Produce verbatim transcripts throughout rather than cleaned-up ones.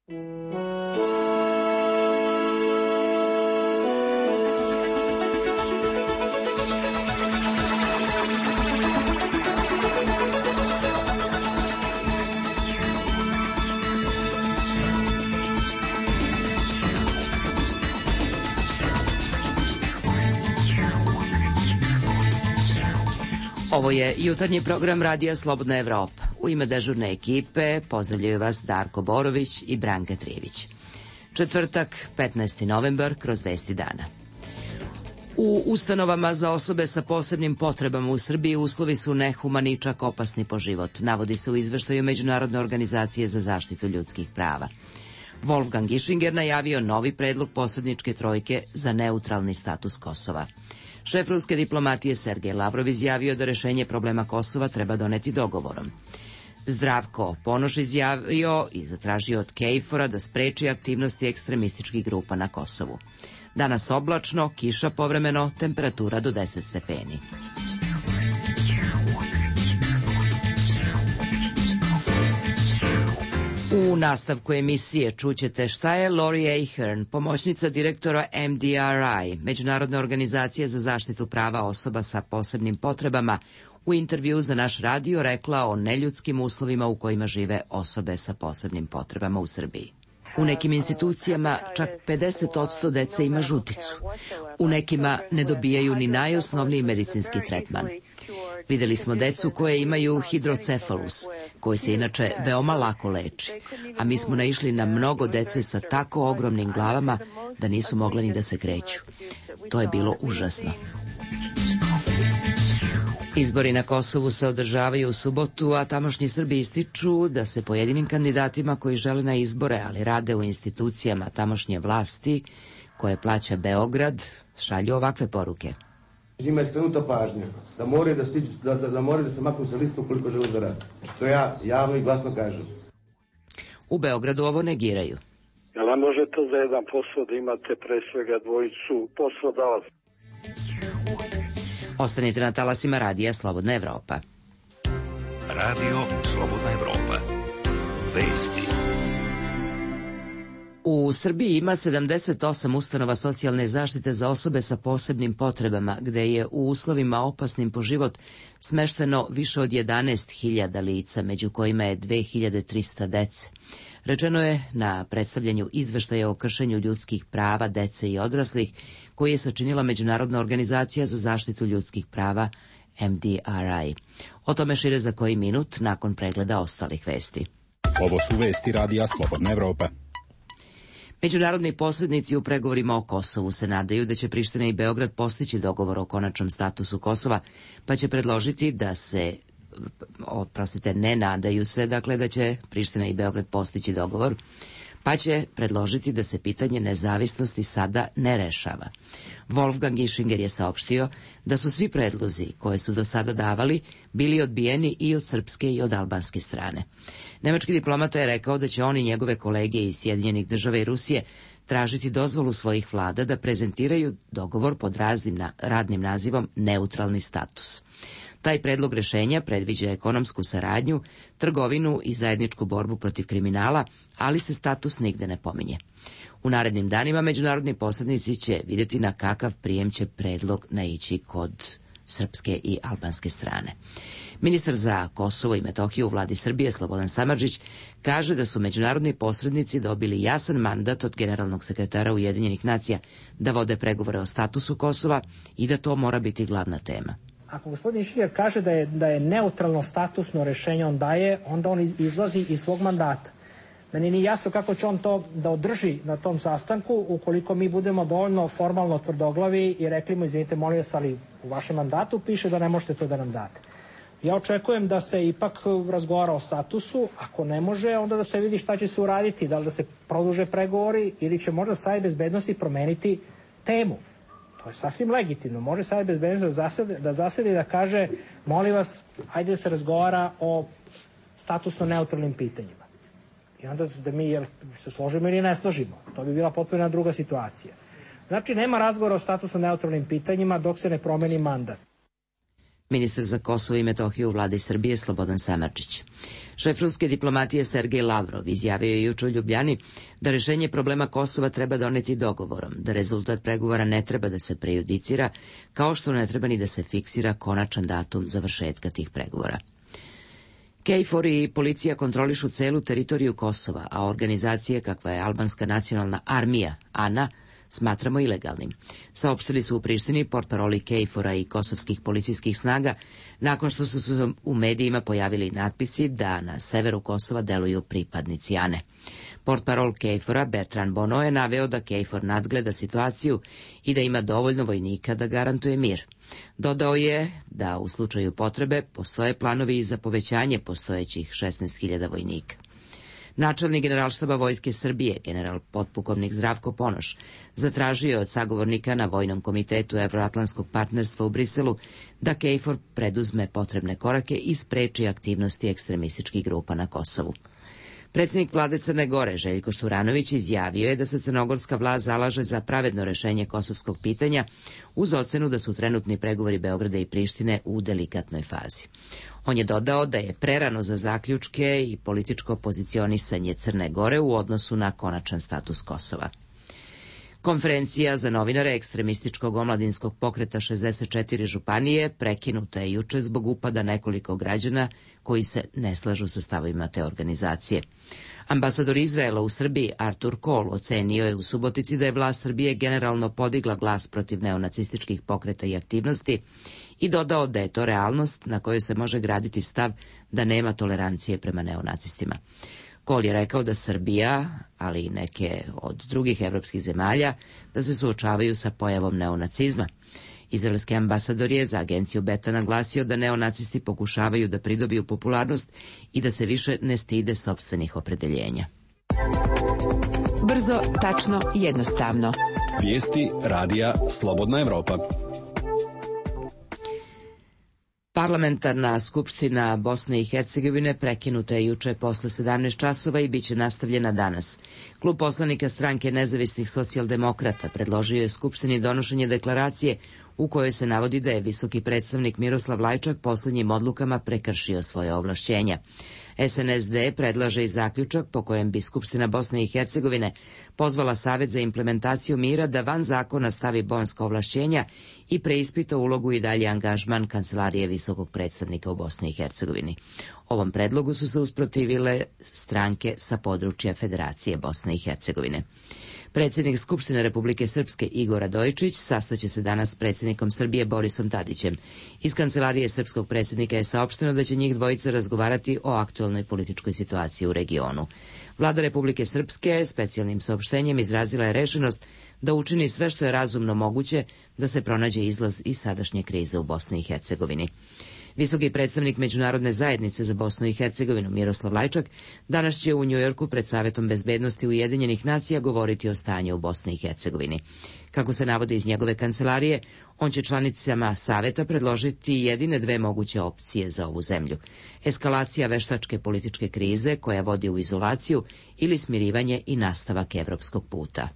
Ovo je jutarnji program Radija Slobodna Evropa. U ime dežurne ekipe pozdravljaju vas Darko Borović i Branka Trijević. Četvrtak, petnaesti novembar, kroz vesti dana. U ustanovama za osobe sa posebnim potrebama u Srbiji uslovi su nehumani, čak opasni po život, navodi se u izveštaju Međunarodne organizacije za zaštitu ljudskih prava. Wolfgang Ischinger najavio novi predlog posredničke trojke za neutralni status Kosova. Šef ruske diplomatije Sergej Lavrov izjavio da rešenje problema Kosova treba doneti dogovorom. Zdravko Ponoš izjavio i zatražio od KFOR-a da spreči aktivnosti ekstremističkih grupa na Kosovu. Danas oblačno, kiša povremeno, temperatura do deset stepeni. U nastavku emisije čućete šta je Lori Ahern, pomoćnica direktora M D R I, Međunarodne organizacije za zaštitu prava osoba sa posebnim potrebama, u intervju za naš radio rekla o neljudskim uslovima u kojima žive osobe sa posebnim potrebama u Srbiji. U nekim institucijama čak pedeset posto dece ima žuticu. U nekima ne dobijaju ni najosnovniji medicinski tretman. Videli smo decu koje imaju hidrocefalus, koji se inače veoma lako leči, a mi smo naišli na mnogo dece sa tako ogromnim glavama da nisu mogle ni da se kreću. To je bilo užasno. Izbori na Kosovu se održavaju u subotu, a tamošnji Srbi ističu da se pojedinim kandidatima koji žele na izbore, ali rade u institucijama tamošnje vlasti, koje plaća Beograd, šalju ovakve poruke. Njima je skrenuta pažnja da moraju da, stiđu, da, da, moraju da se maknu sa liste ukoliko žele da rade. To ja javno i glasno kažem. U Beogradu ovo negiraju. Jel ne možete za jedan posao da imate pre svega dvojicu poslodavaca? Ostanite na talasima Radija Slobodna Evropa. Radio Slobodna Evropa. Vesti. U Srbiji ima sedamdeset osam ustanova socijalne zaštite za osobe sa posebnim potrebama, gde je u uslovima opasnim po život smešteno više od jedanaest hiljada lica, među kojima je dve hiljade trista dece. Rečeno je na predstavljanju izveštaja o kršenju ljudskih prava dece i odraslih, koji je sačinila Međunarodna organizacija za zaštitu ljudskih prava M D R I. O tome šire za koji minut nakon pregleda ostalih vesti. Ovo su vesti Radija Slobodna Evropa. Međunarodni posrednici u pregovorima o Kosovu se nadaju da će Priština i Beograd postići dogovor o konačnom statusu Kosova, pa će predložiti da se, oprostite, ne nadaju se, dakle da će Priština i Beograd postići dogovor, pa će predložiti da se pitanje nezavisnosti sada ne rešava. Wolfgang Ischinger je saopštio da su svi predlozi koje su do sada davali bili odbijeni i od srpske i od albanske strane. Nemački diplomata je rekao da će on i njegove kolege iz Sjedinjenih država i Rusije tražiti dozvolu svojih vlada da prezentiraju dogovor pod raznim na, radnim nazivom neutralni status. Taj predlog rešenja predviđa ekonomsku saradnju, trgovinu i zajedničku borbu protiv kriminala, ali se status nigde ne pominje. U narednim danima međunarodni posrednici će vidjeti na kakav prijem će predlog naići kod srpske i albanske strane. Ministar za Kosovo i Metohiju u vladi Srbije Slobodan Samardžić kaže da su međunarodni posrednici dobili jasan mandat od generalnog sekretara Ujedinjenih nacija da vode pregovore o statusu Kosova i da to mora biti glavna tema. Ako gospodin Šiger kaže da je, da je neutralno statusno rešenje on daje, onda on izlazi iz svog mandata. Meni nije jasno kako će on to da održi na tom sastanku ukoliko mi budemo dovoljno formalno tvrdoglavi i rekli mu, izvinite, molim vas, ali u vašem mandatu piše da ne možete to da nam date. Ja očekujem da se ipak razgovara o statusu, ako ne može, onda da se vidi šta će se uraditi, da li da se produže pregovori ili će možda Savet bezbednosti promeniti temu. To je sasvim legitimno. Može Savet bezbednosti da zasedi, da zasedi da kaže, molim vas, hajde da se razgovara o statusno neutralnim pitanjima. I onda da mi jel, se složimo ili ne složimo. To bi bila potpuno druga situacija. Znači, nema razgovora o statusno neutralnim pitanjima dok se ne promeni mandat. Ministar za Kosovo i Metohiju u vladi Srbije Slobodan Samardžić. Šef ruske diplomatije Sergej Lavrov izjavio je juče u Ljubljani da rešenje problema Kosova treba doneti dogovorom, da rezultat pregovora ne treba da se prejudicira, kao što ne treba ni da se fiksira konačan datum završetka tih pregovora. KFOR i policija kontrolišu celu teritoriju Kosova, a organizacije kakva je Albanska nacionalna armija, ANA, smatramo ilegalnim. Saopštili su u Prištini portparoli KFOR-a i kosovskih policijskih snaga, nakon što su se u medijima pojavili natpisi da na severu Kosova deluju pripadnici ANE. Portparol KFOR-a Bertrand Bono je naveo da KFOR nadgleda situaciju i da ima dovoljno vojnika da garantuje mir. Dodao je da u slučaju potrebe postoje planovi za povećanje postojećih šesnaest hiljada vojnika. Načelnik Generalštaba Vojske Srbije, general potpukovnik Zdravko Ponoš, zatražio je od sagovornika na Vojnom komitetu Evroatlantskog partnerstva u Briselu da KFOR preduzme potrebne korake i spreči aktivnosti ekstremističkih grupa na Kosovu. Predsjednik vlade Crne Gore, Željko Šturanović, izjavio je da se crnogorska vlast zalaže za pravedno rešenje kosovskog pitanja uz ocenu da su trenutni pregovori Beograda i Prištine u delikatnoj fazi. On je dodao da je prerano za zaključke i političko pozicionisanje Crne Gore u odnosu na konačan status Kosova. Konferencija za novinare ekstremističkog omladinskog pokreta šezdeset četiri županije prekinuta je juče zbog upada nekoliko građana koji se ne slažu sa stavovima te organizacije. Ambasador Izraela u Srbiji Artur Kol ocenio je u Subotici da je vlast Srbije generalno podigla glas protiv neonacističkih pokreta i aktivnosti i dodao da je to realnost na kojoj se može graditi stav da nema tolerancije prema neonacistima. Kol je rekao da Srbija, ali i neke od drugih evropskih zemalja, da se suočavaju sa pojavom neonacizma. Izraelski ambasador je za agenciju Beta naglasio da neonacisti pokušavaju da pridobiju popularnost i da se više ne stide sopstvenih opredeljenja. Brzo, tačno i jednostavno. Vijesti radija Slobodna Evropa. Parlamentarna skupština Bosne i Hercegovine prekinuta je juče posle sedamnaest časova i bit će nastavljena danas. Klub poslanika stranke nezavisnih socijaldemokrata predložio je skupštini donošenje deklaracije u kojoj se navodi da je visoki predstavnik Miroslav Lajčak poslednjim odlukama prekršio svoje ovlašćenja. S N S D predlaže i zaključak po kojem bi Skupština Bosne i Hercegovine pozvala Savet za implementaciju mira da van zakona stavi bonska ovlašćenja i preispita ulogu i dalje angažman Kancelarije visokog predstavnika u Bosni i Hercegovini. Ovom predlogu su se usprotivile stranke sa područja Federacije Bosne i Hercegovine. Predsjednik Skupštine Republike Srpske Igor Radojičić sastaće se danas s predsjednikom Srbije Borisom Tadićem. Iz Kancelarije srpskog predsjednika je saopšteno da će njih dvojica razgovarati o aktualnoj političkoj situaciji u regionu. Vlada Republike Srpske specijalnim saopštenjem izrazila je rešenost da učini sve što je razumno moguće da se pronađe izlaz iz sadašnje krize u Bosni i Hercegovini. Visoki predstavnik Međunarodne zajednice za Bosnu i Hercegovinu Miroslav Lajčak danas će u Njujorku pred Savetom bezbednosti Ujedinjenih nacija govoriti o stanju u Bosni i Hercegovini. Kako se navodi iz njegove kancelarije, on će članicama Saveta predložiti jedine dve moguće opcije za ovu zemlju. Eskalacija veštačke političke krize koja vodi u izolaciju ili smirivanje i nastavak evropskog puta.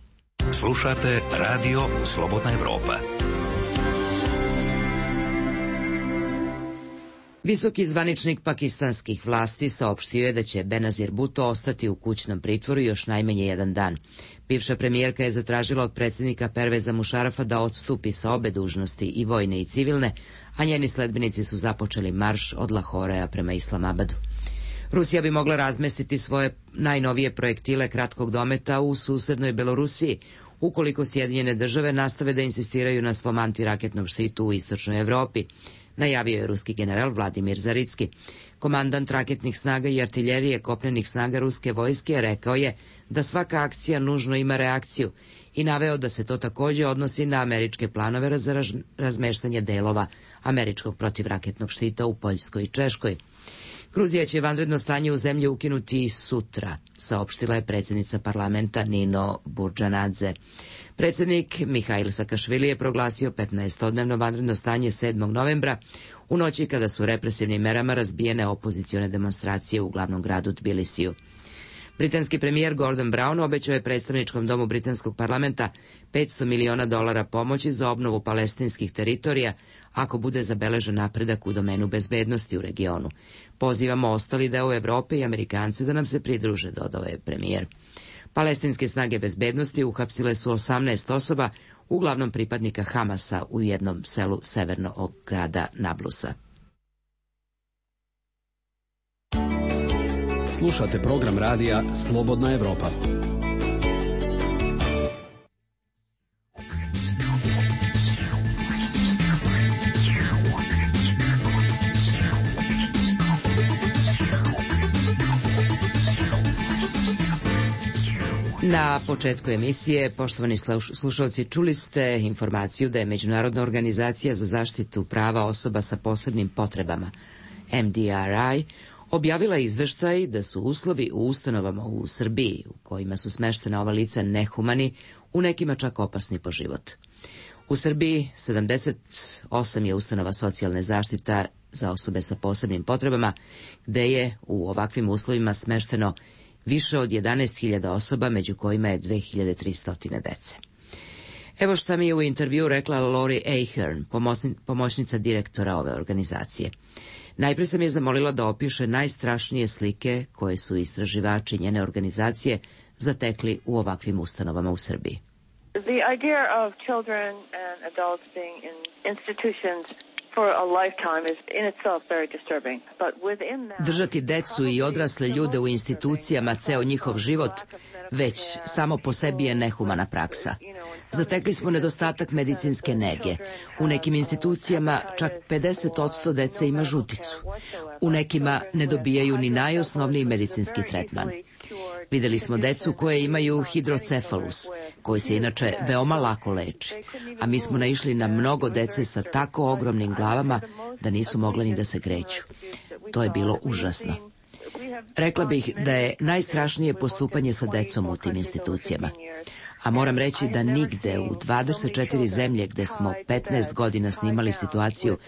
Slušate Radio Slobodna Evropa. Visoki zvaničnik pakistanskih vlasti saopštio je da će Benazir Bhutto ostati u kućnom pritvoru još najmanje jedan dan. Bivša premijerka je zatražila od predsjednika Perveza Mušarafa da odstupi sa obe dužnosti, i vojne i civilne, a njeni sledbenici su započeli marš od Lahorea prema Islamabadu. Rusija bi mogla razmestiti svoje najnovije projektile kratkog dometa u susednoj Belorusiji, ukoliko Sjedinjene države nastave da insistiraju na svom antiraketnom štitu u istočnoj Evropi, najavio je ruski general Vladimir Zaritski. Komandant raketnih snaga i artiljerije kopnenih snaga ruske vojske rekao je da svaka akcija nužno ima reakciju i naveo da se to također odnosi na američke planove za raz, razmeštanje delova američkog protivraketnog štita u Poljskoj i Češkoj. Gruzija će vanredno stanje u zemlji ukinuti sutra, saopštila je predsjednica parlamenta Nino Burđanadze. Predsjednik Mihail Sakašvili je proglasio petnaestodnevno vanredno stanje sedmog novembra, u noći kada su represivnim merama razbijene opozicione demonstracije u glavnom gradu Tbilisiju. Britanski premijer Gordon Brown obećao je predstavničkom domu britanskog parlamenta petsto miliona dolara pomoći za obnovu palestinskih teritorija ako bude zabeležen napredak u domenu bezbednosti u regionu. Pozivamo ostali deo Evrope i Amerikance da nam se pridruže, dodao je premijer. Palestinske snage bezbednosti uhapsile su osamnaest osoba, uglavnom pripadnika Hamasa, u jednom selu severno od grada Nablusa. Slušate program radija Slobodna Evropa. Na početku emisije, poštovani slušalci, čuli ste informaciju da je Međunarodna organizacija za zaštitu prava osoba sa posebnim potrebama, M D R I, objavila izveštaj da su uslovi u ustanovama u Srbiji, u kojima su smeštena ova lica, nehumani, u nekima čak opasni po život. U Srbiji sedamdeset osam je ustanova socijalne zaštita za osobe sa posebnim potrebama, gde je u ovakvim uslovima smešteno više od jedanaest hiljada osoba, među kojima je dve hiljade tristo dece. Evo šta mi je u intervju rekla Lori Ahern, pomoćnica direktora ove organizacije. Najpre sam je zamolila da opiše najstrašnije slike koje su istraživači njene organizacije zatekli u ovakvim ustanovama u Srbiji. The idea of children and adults being in institutions for a lifetime is in itself very disturbing. But within that, držati decu i odrasle ljude u institucijama ceo njihov život već samo po sebi je nehumana praksa. Zatekli smo nedostatak medicinske nege. U nekim institucijama čak pedeset posto dece ima žuticu. U nekima ne dobijaju ni najosnovniji medicinski tretman. Videli smo decu koje imaju hidrocefalus, koji se inače veoma lako leči, a mi smo naišli na mnogo dece sa tako ogromnim glavama da nisu mogla ni da se kreću. To je bilo užasno. Rekla bih da je najstrašnije postupanje sa decom u tim institucijama. A moram reći da nigde u dvadeset četiri zemlje gde smo petnaest godina snimali situaciju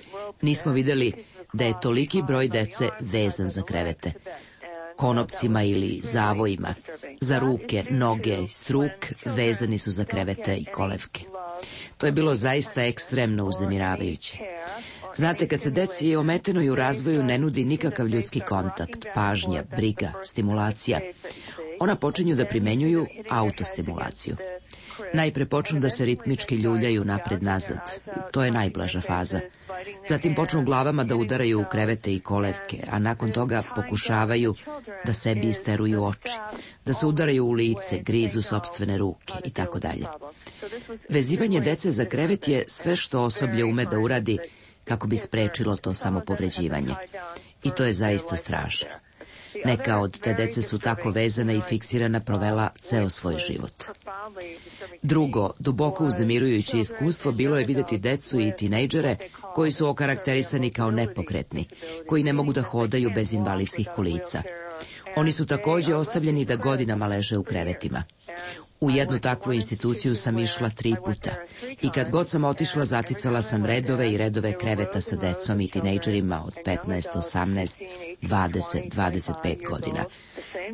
nismo videli da je toliki broj dece vezan za krevete. Konopcima ili zavojima, za ruke, noge, struk vezani su za krevete i kolevke. To je bilo zaista ekstremno uznemiravajuće. Znate, kad se deci ometenoj u razvoju ne nudi nikakav ljudski kontakt, pažnja, briga, stimulacija, ona počinju da primenjuju autostimulaciju. Najpre počnu da se ritmički ljuljaju napred-nazad. To je najblaža faza. Zatim počnu glavama da udaraju u krevete i kolevke, a nakon toga pokušavaju da sebi isteruju oči, da se udaraju u lice, grizu sopstvene ruke i tako dalje. Vezivanje dece za krevet je sve što osoblje ume da uradi kako bi sprečilo to samopovređivanje. I to je zaista strašno. Neka od te dece su tako vezana i fiksirana provela ceo svoj život. Drugo, duboko uznemirujuće iskustvo bilo je videti decu i tinejdžere koji su okarakterisani kao nepokretni, koji ne mogu da hodaju bez invalidskih kolica. Oni su takođe ostavljeni da godinama leže u krevetima. U jednu takvu instituciju sam išla tri puta i kad god sam otišla zaticala sam redove i redove kreveta sa decom i tinejdžerima od petnaest, osamnaest, dvadeset, dvadeset pet godina.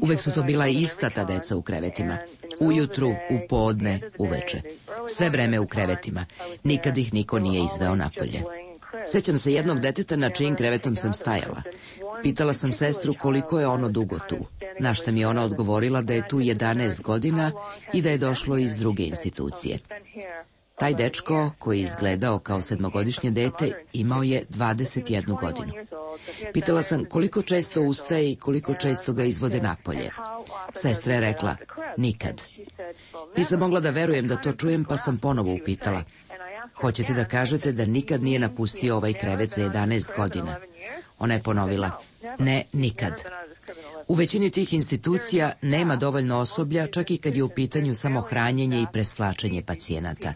Uvek su to bila ista ta deca u krevetima. Ujutru, u podne, uveče. Sve vreme u krevetima. Nikad ih niko nije izveo napolje. Sećam se jednog deteta na čijim krevetom sam stajala. Pitala sam sestru koliko je ono dugo tu. Na šta mi je ona odgovorila da je tu jedanaest godina i da je došlo iz druge institucije. Taj dečko, koji je izgledao kao sedmogodišnje dete, imao je dvadeset jednu godinu. Pitala sam koliko često ustaje i koliko često ga izvode napolje. Sestra je rekla, nikad. Nisam mogla da verujem da to čujem, pa sam ponovo upitala. Hoćete da kažete da nikad nije napustio ovaj krevet za jedanaest godina? Ona je ponovila, ne, nikad. U većini tih institucija nema dovoljno osoblja, čak i kad je u pitanju samo hranjenje i presvlačenje pacijenata.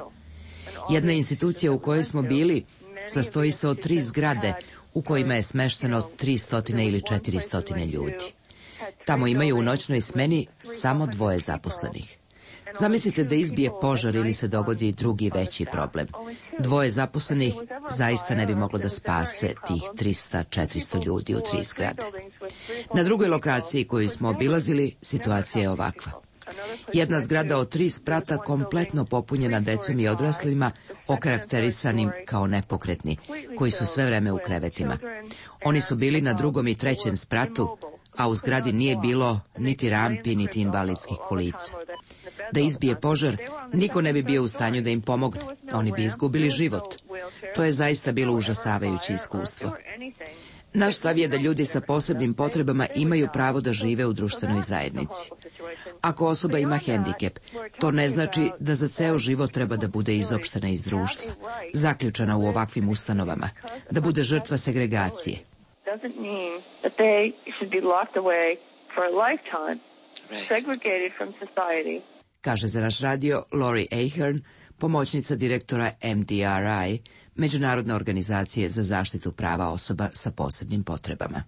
Jedna institucija u kojoj smo bili sastoji se od tri zgrade u kojima je smešteno tristo ili četiristo ljudi. Tamo imaju u noćnoj smeni samo dvoje zaposlenih. Zamislite da izbije požar ili se dogodi drugi veći problem. Dvoje zaposlenih zaista ne bi moglo da spase tih trista četiristo ljudi u tri zgrade. Na drugoj lokaciji koju smo obilazili, situacija je ovakva. Jedna zgrada od tri sprata kompletno popunjena decom i odraslima, okarakterisanim kao nepokretni, koji su sve vreme u krevetima. Oni su bili na drugom i trećem spratu, a u zgradi nije bilo niti rampi, niti invalidskih kolica. Da izbije požar, niko ne bi bio u stanju da im pomogne. Oni bi izgubili život. To je zaista bilo užasavajuće iskustvo. Naš stav je da ljudi sa posebnim potrebama imaju pravo da žive u društvenoj zajednici. Ako osoba ima hendikep, to ne znači da za ceo život treba da bude izopštena iz društva, zaključana u ovakvim ustanovama, da bude žrtva segregacije. Kaže za naš radio Lori Ahern, pomoćnica direktora M D R I, Međunarodne organizacije za zaštitu prava osoba sa posebnim potrebama.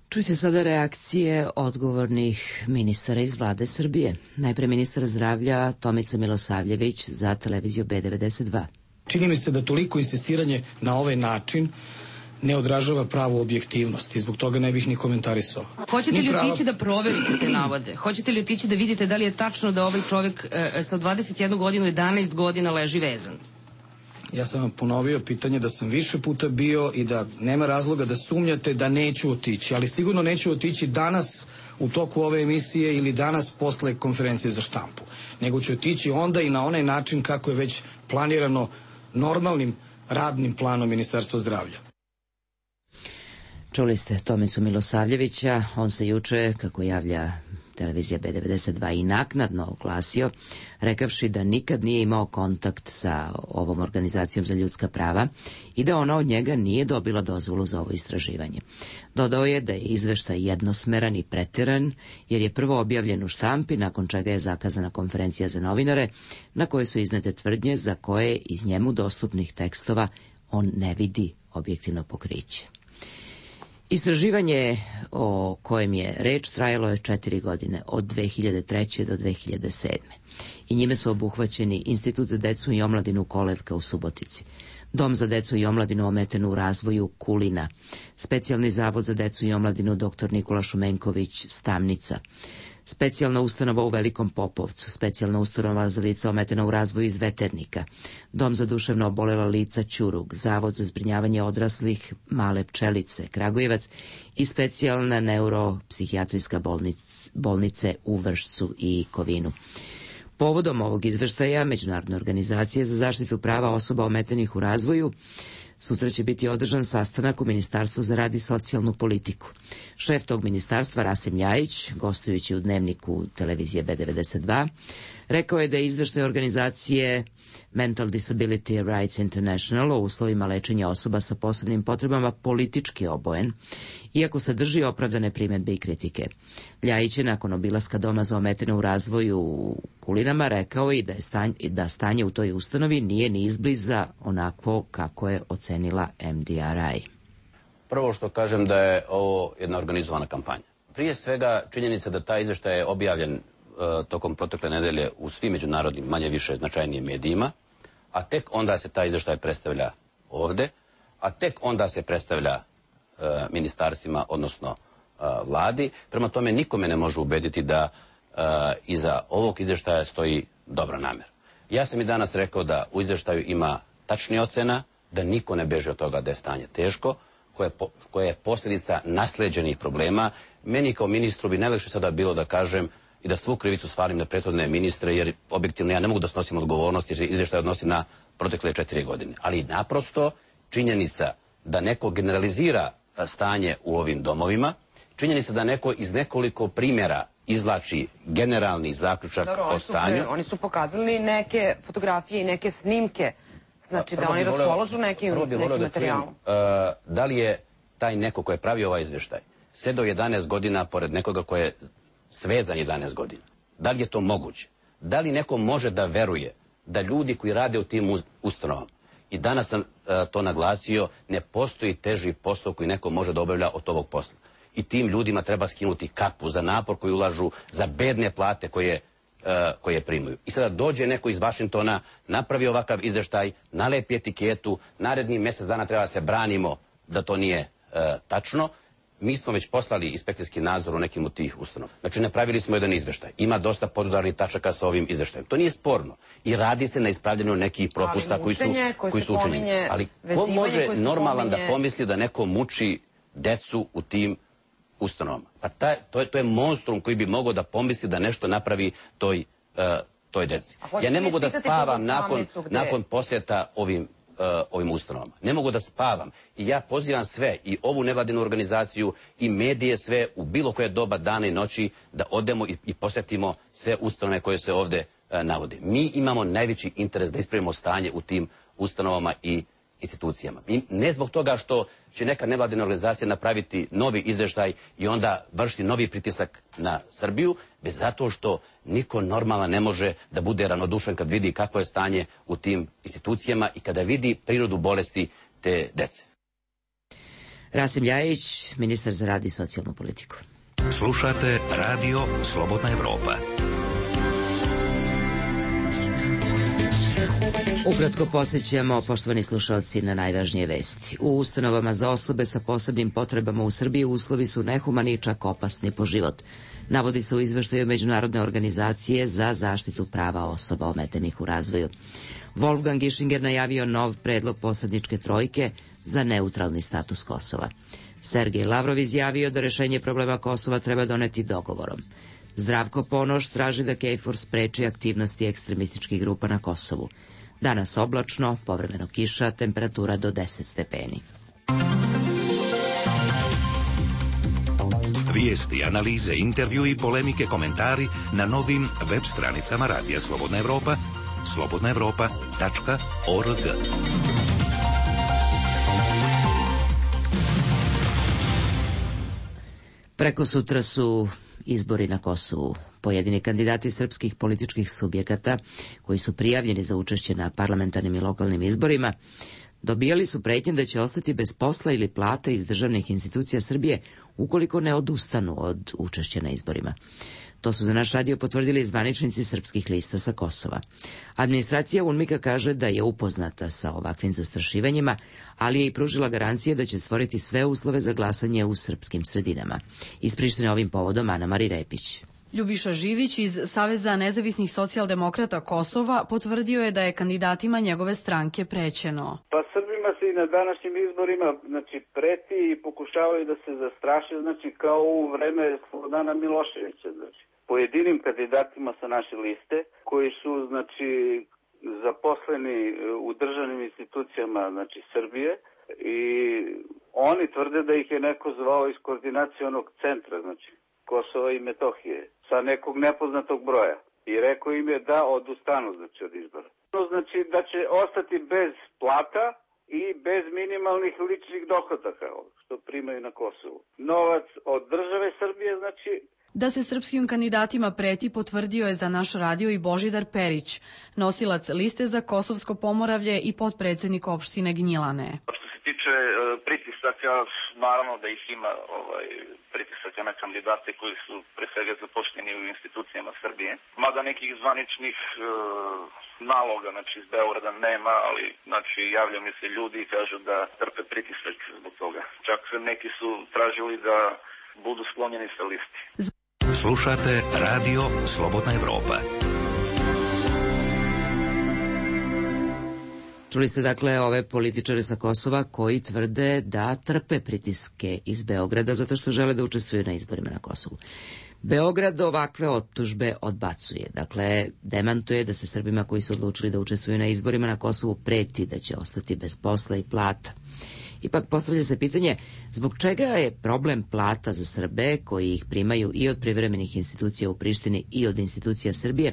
Čujte sada reakcije odgovornih ministara iz vlade Srbije. Najpre ministar zdravlja Tomica Milosavljević za televiziju B devedeset dva. Čini mi se da toliko insistiranje na ovaj način ne odražava pravu objektivnost i zbog toga ne bih ni komentarisao. Hoćete li prava... otići da proverite te navode? Hoćete li otići da vidite da li je tačno da ovaj čovjek e, sa dvadeset jednu godinu, jedanaest godina leži vezan? Ja sam vam ponovio pitanje da sam više puta bio i da nema razloga da sumnjate da neću otići, ali sigurno neću otići danas u toku ove emisije ili danas posle konferencije za štampu, nego ću otići onda i na onaj način kako je već planirano normalnim radnim planom Ministarstva zdravlja. Čuli ste Tomicu Milosavljevića, on se juče, kako javlja televizija B devedeset dva, i naknadno oglasio, rekavši da nikad nije imao kontakt sa ovom organizacijom za ljudska prava i da ona od njega nije dobila dozvolu za ovo istraživanje. Dodao je da je izveštaj jednosmeran i preteran, jer je prvo objavljen u štampi, nakon čega je zakazana konferencija za novinare, na kojoj su iznete tvrdnje za koje iz njemu dostupnih tekstova on ne vidi objektivno pokriće. Istraživanje o kojem je reč trajalo je četiri godine, od dve hiljade treće do dve hiljade sedme. I njime su obuhvaćeni Institut za decu i omladinu Kolevka u Subotici, Dom za decu i omladinu ometenu u razvoju Kulina, Specijalni zavod za decu i omladinu doktor Nikola Šumenković Stamnica, Specijalna ustanova u Velikom Popovcu, Specijalna ustanova za lica ometena u razvoju iz Veternika, Dom za duševno obolela lica Ćurug, Zavod za zbrinjavanje odraslih Male Pčelice, Kragujevac i Specijalna neuropsihijatrijska bolnice, bolnice u Vršcu i Kovinu. Povodom ovog izveštaja Međunarodne organizacije za zaštitu prava osoba ometenih u razvoju sutra će biti održan sastanak u Ministarstvu za rad i socijalnu politiku. Šef tog ministarstva, Rasim Ljajić, gostujući u dnevniku televizije B devedeset dva, rekao je da je izveštaj organizacije Mental Disability Rights International o uslovima lečenja osoba sa posebnim potrebama politički obojen, iako sadrži opravdane primjedbe i kritike. Ljajić je nakon obilaska Doma za ometene u razvoju u Kulinama rekao i da, je stanje, da stanje u toj ustanovi nije ni izbliza onako kako je ocenila M D R I. Prvo što kažem da je ovo jedna organizovana kampanja. Prije svega činjenica da taj izveštaj je objavljen uh, tokom protekle nedelje u svim međunarodnim, manje više značajnijim medijima, a tek onda se taj izveštaj predstavlja ovde, a tek onda se predstavlja uh, ministarstvima, odnosno uh, vladi. Prema tome nikome ne može ubediti da uh, iza ovog izveštaja stoji dobra namjera. Ja sam i danas rekao da u izvještaju ima tačnija ocena, da niko ne beže od toga da je stanje teško, koje, po, koje je posljedica nasleđenih problema. Meni kao ministru bi najlakše sada bilo da kažem i da svu krivicu svalim na prethodne ministre, jer objektivno ja ne mogu da snosim odgovornost, jer se izvještaj odnosi na protekle četiri godine. Ali naprosto činjenica da neko generalizira stanje u ovim domovima, činjenica da neko iz nekoliko primjera izvlači generalni zaključak Dobro, o stanju. Su, oni su pokazali neke fotografije i neke snimke, znači da oni raspoložu nekim, nekim materijalom. Uh, da li je taj neko ko je pravio ovaj izvještaj sedao jedanaest godina pored nekoga ko je svezan jedanaest godina? Da li je to moguće? Da li neko može da veruje da ljudi koji rade u tim ustanovama, i danas sam uh, to naglasio, ne postoji teži posao koji neko može da obavlja od ovog posla. I tim ljudima treba skinuti kapu za napor koji ulažu, za bedne plate koje koje primaju. I sada dođe neko iz Vašingtona, napravi ovakav izveštaj, nalepi etiketu, naredni mjesec dana treba se branimo da to nije uh, tačno. Mi smo već poslali inspekcijski nadzor u nekim od tih ustanova. Znači, napravili smo jedan izveštaj. Ima dosta podudarnih tačaka sa ovim izveštajem. To nije sporno. I radi se na ispravljanju nekih propusta koji su, koji su učinjeni. Ali ko može normalan da pomisli da neko muči decu u tim ustanovama? Pa taj, to, je, to je monstrum koji bi mogao da pomisli da nešto napravi toj, uh, toj deci. Ja ne mogu da spavam nakon, nakon posjeta ovim Uh, ovim ustanovama. Ne mogu da spavam. I ja pozivam sve, i ovu nevladinu organizaciju, i medije sve, u bilo koje doba dana i noći, da odemo i, i posjetimo sve ustanove koje se ovde uh, navode. Mi imamo najveći interes da ispravimo stanje u tim ustanovama i institucijama. I ne zbog toga što će neka nevladina organizacija napraviti novi izveštaj i onda vršiti novi pritisak na Srbiju, već zato što niko normalan ne može da bude ravnodušan kad vidi kakvo je stanje u tim institucijama i kada vidi prirodu bolesti te dece. Rasim Ljajić, ministar za rad i socijalnu politiku. Slušate Radio Slobodna Evropa. Ukratko posjećamo, poštovani slušalci, na najvažnije vesti. U ustanovama za osobe sa posebnim potrebama u Srbiji uslovi su nehumani i čak opasni po život. Navodi se u izveštaju Međunarodne organizacije za zaštitu prava osoba ometenih u razvoju. Wolfgang Ischinger najavio nov predlog posredničke trojke za neutralni status Kosova. Sergej Lavrov izjavio da rešenje problema Kosova treba doneti dogovorom. Zdravko Ponoš traži da KFOR spreči aktivnosti ekstremističkih grupa na Kosovu. Danas oblačno, povremeno kiša, temperatura do deset stepeni. Vijesti, analize, intervju i polemike, komentari na novim web stranicama Radija Slobodna Evropa, slobodna evropa tačka org. Preko sutra su izbori na Kosovu. Pojedini kandidati srpskih političkih subjekata koji su prijavljeni za učešće na parlamentarnim i lokalnim izborima dobijali su pretnje da će ostati bez posla ili plate iz državnih institucija Srbije ukoliko ne odustanu od učešća na izborima. To su za naš radio potvrdili zvaničnici srpskih lista sa Kosova. Administracija UNMIK-a kaže da je upoznata sa ovakvim zastrašivanjima, ali je i pružila garancije da će stvoriti sve uslove za glasanje u srpskim sredinama. Iz Prištine ovim povodom Ana Mari Repić. Ljubiša Živić iz Saveza nezavisnih socijaldemokrata Kosova potvrdio je da je kandidatima njegove stranke prećeno. Pa Srbima se i na današnjim izborima znači, preti i pokušavaju da se zastraše, znači kao u vreme Slobodana Miloševića. Znači. Pojedinim kandidatima sa naše liste koji su znači zaposleni u državnim institucijama znači Srbije i oni tvrde da ih je neko zvao iz koordinacionog centra, znači Kosova i Metohije, sa nekog nepoznatog broja. I rekao im je da odustanu znači, od izbora. Znači da će ostati bez plata i bez minimalnih ličnih dohodaka, što primaju na Kosovu. Novac od države Srbije, znači... Da se srpskim kandidatima preti potvrdio je za naš radio i Božidar Perić, nosilac liste za Kosovsko Pomoravlje i potpredsednik opštine Gnjilane. Što se tiče uh, pritisaka, naravno da ih ima ovaj, pritisaka na kandidate koji su pre svega zaposleni u institucijama Srbije. Mada nekih zvaničnih uh, naloga znači, iz Beograda nema, ali znači, javljaju mi se ljudi i kažu da trpe pritisak zbog toga. Čak neki su tražili da budu sklonjeni sa listi. Slušate Radio Slobodna Evropa. Čuli ste dakle ove političare sa Kosova koji tvrde da trpe pritiske iz Beograda zato što žele da učestvuju na izborima na Kosovu. Beograd ovakve optužbe odbacuje. Dakle, demantuje da se Srbima koji su odlučili da učestvuju na izborima na Kosovu preti da će ostati bez posla i plata. Ipak postavlja se pitanje zbog čega je problem plata za Srbe koji ih primaju i od privremenih institucija u Prištini i od institucija Srbije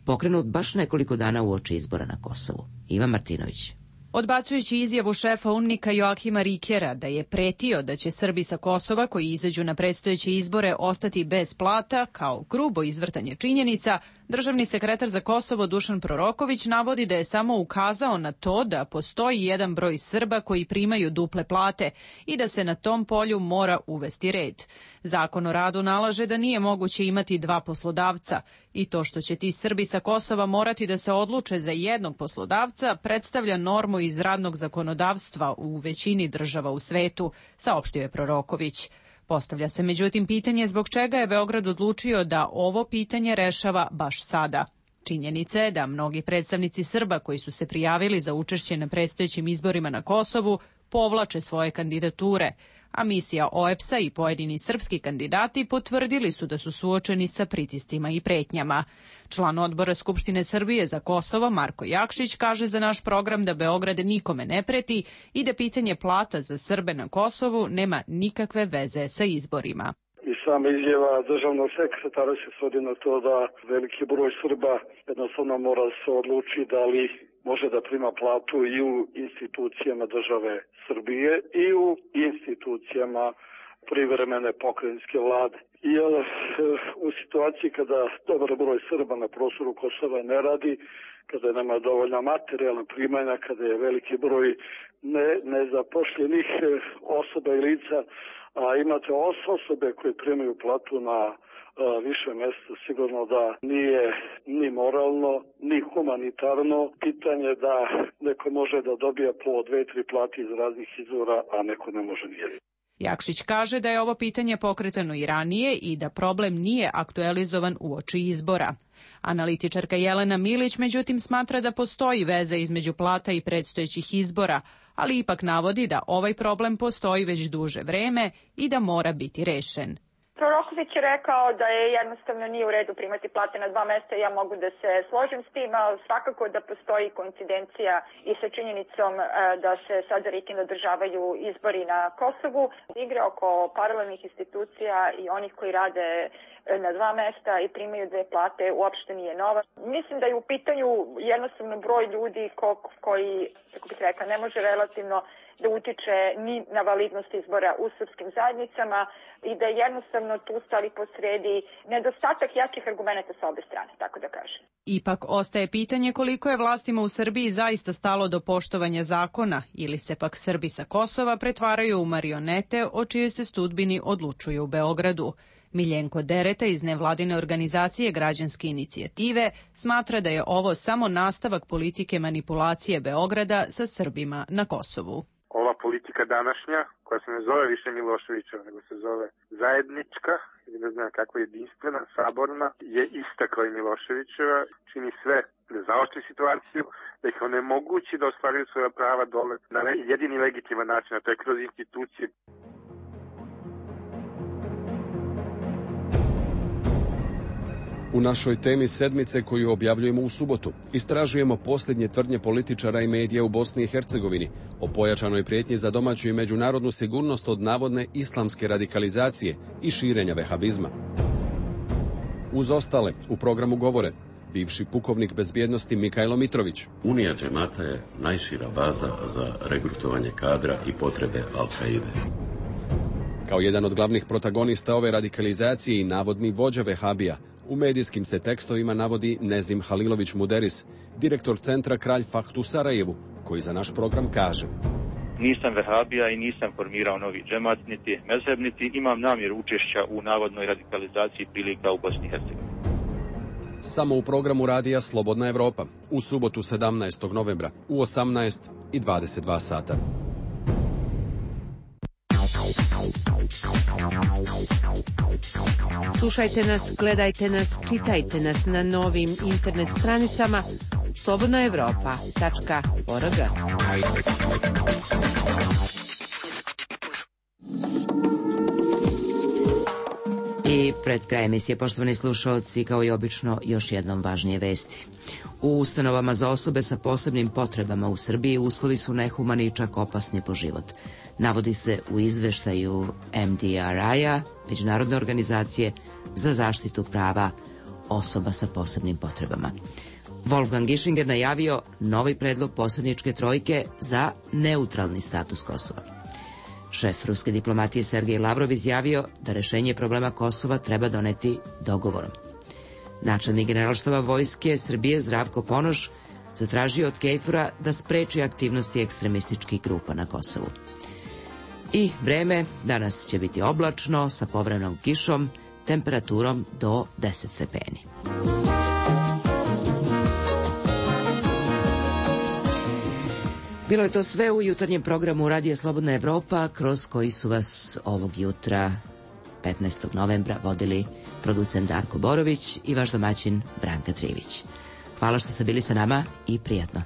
pokrenut baš nekoliko dana uoči izbora na Kosovu. Ivan Martinović. Odbacujući izjavu šefa UNMIK-a Joakima Rikera da je pretio da će Srbi sa Kosova koji izađu na predstojeće izbore ostati bez plata kao grubo izvrtanje činjenica, Državni sekretar za Kosovo Dušan Proroković navodi da je samo ukazao na to da postoji jedan broj Srba koji primaju duple plate i da se na tom polju mora uvesti red. Zakon o radu nalaže da nije moguće imati dva poslodavca i to što će ti Srbi sa Kosova morati da se odluče za jednog poslodavca predstavlja normu iz radnog zakonodavstva u većini država u svetu, saopštio je Proroković. Postavlja se međutim pitanje zbog čega je Beograd odlučio da ovo pitanje rešava baš sada. Činjenica je da mnogi predstavnici Srba koji su se prijavili za učešće na predstojećim izborima na Kosovu povlače svoje kandidature, a misija O E P S-a i pojedini srpski kandidati potvrdili su da su suočeni sa pritiscima i pretnjama. Član odbora Skupštine Srbije za Kosovo Marko Jakšić kaže za naš program da Beograd nikome ne preti i da pitanje plata za Srbe na Kosovu nema nikakve veze sa izborima. I sama izjava državnog sekretara se svodi na to da veliki broj Srba jednostavno mora se odluči da li može da prima platu i u institucijama države Srbije i u institucijama privremene pokrajinske vlade. I u situaciji kada dobar broj Srba na prostoru Kosova ne radi, kada nema dovoljna materijalna primanja, kada je veliki broj ne, nezapošljenih osoba i lica, a imate osobe koje primaju platu na a, više mjesta, sigurno da nije ni moralno, ni humanitarno pitanje da neko može da dobije po dve, tri plati iz raznih izvora, a neko ne može nijedno. Jakšić kaže da je ovo pitanje pokretano i ranije i da problem nije aktualizovan uoči izbora. Analitičarka Jelena Milić međutim smatra da postoji veza između plata i predstojećih izbora, ali ipak navodi da ovaj problem postoji već duže vreme i da mora biti rešen. Proroković je rekao da je jednostavno nije u redu primati plate na dva mesta. Ja mogu da se složim s tim, ali svakako da postoji koincidencija i sa činjenicom da se sada ritim održavaju izbori na Kosovu. Igre oko paralelnih institucija i onih koji rade na dva mesta i primaju dve plate uopšte nije nova. Mislim da je u pitanju jednostavno broj ljudi ko, koji, kako bih rekla, ne može relativno da utiče ni na validnost izbora u srpskim zajednicama i da je jednostavno tu stali posredi nedostatak jakih argumenta sa obe strane, tako da kažem. Ipak ostaje pitanje koliko je vlastima u Srbiji zaista stalo do poštovanja zakona ili se pak Srbi sa Kosova pretvaraju u marionete o čijoj se sudbini odlučuju u Beogradu. Miljenko Dereta iz nevladine organizacije Građanske inicijative smatra da je ovo samo nastavak politike manipulacije Beograda sa Srbima na Kosovu. Ova politika današnja, koja se ne zove više Miloševićeva, nego se zove zajednička, ili ne znam kako jedinstvena, saborna, je ista kao i Miloševićeva, čini sve da zaoštri situaciju, da ih onemogući da ostvaruju svoja prava dole na jedini legitiman način, a to je kroz institucije. U našoj temi sedmice koju objavljujemo u subotu istražujemo posljednje tvrdnje političara i medija u Bosni i Hercegovini o pojačanoj prijetnji za domaću i međunarodnu sigurnost od navodne islamske radikalizacije i širenja vehabizma. Uz ostale u programu govore bivši pukovnik bezbjednosti Mikajlo Mitrović. Unija džemata je najšira baza za regrutovanje kadra i potrebe Al-Kaide. Kao jedan od glavnih protagonista ove radikalizacije i navodni vođa vehabija, u medijskim se tekstovima navodi Nezim Halilović Muderis, direktor centra Kralj Fahd u Sarajevu, koji za naš program kaže: Nisam vehabija i nisam formirao novi džemat, niti mezheb, niti imam namjeru učešća u navodnoj radikalizaciji prilika u Bosni i Hercegovini. Samo u programu radija Slobodna Evropa, u subotu sedamnaestog novembra, u osamnaest i dvadeset dva sata. Slušajte nas, gledajte nas, čitajte nas na novim internet stranicama slobodna evropa tačka org. I pred kraj emisije, poštovani slušaoci, kao i obično, još jednom važnije vesti. U ustanovama za osobe sa posebnim potrebama u Srbiji uslovi su nehumani i čak opasni po život. Navodi se u izveštaju M D R I-a, Međunarodne organizacije za zaštitu prava osoba sa posebnim potrebama. Wolfgang Ischinger najavio novi predlog posredničke trojke za neutralni status Kosova. Šef ruske diplomatije Sergej Lavrov izjavio da rešenje problema Kosova treba doneti dogovorom. Načelnik Generalštaba Vojske Srbije Zdravko Ponoš zatražio od KFOR-a da spreči aktivnosti ekstremističkih grupa na Kosovu. I vreme, danas će biti oblačno sa povremenom kišom, temperaturom do deset stepeni. Bilo je to sve u jutarnjem programu Radija Slobodna Evropa, kroz koji su vas ovog jutra, petnaestog novembra, vodili producent Darko Borović i vaš domaćin Branka Trivić. Hvala što ste bili sa nama i prijatno.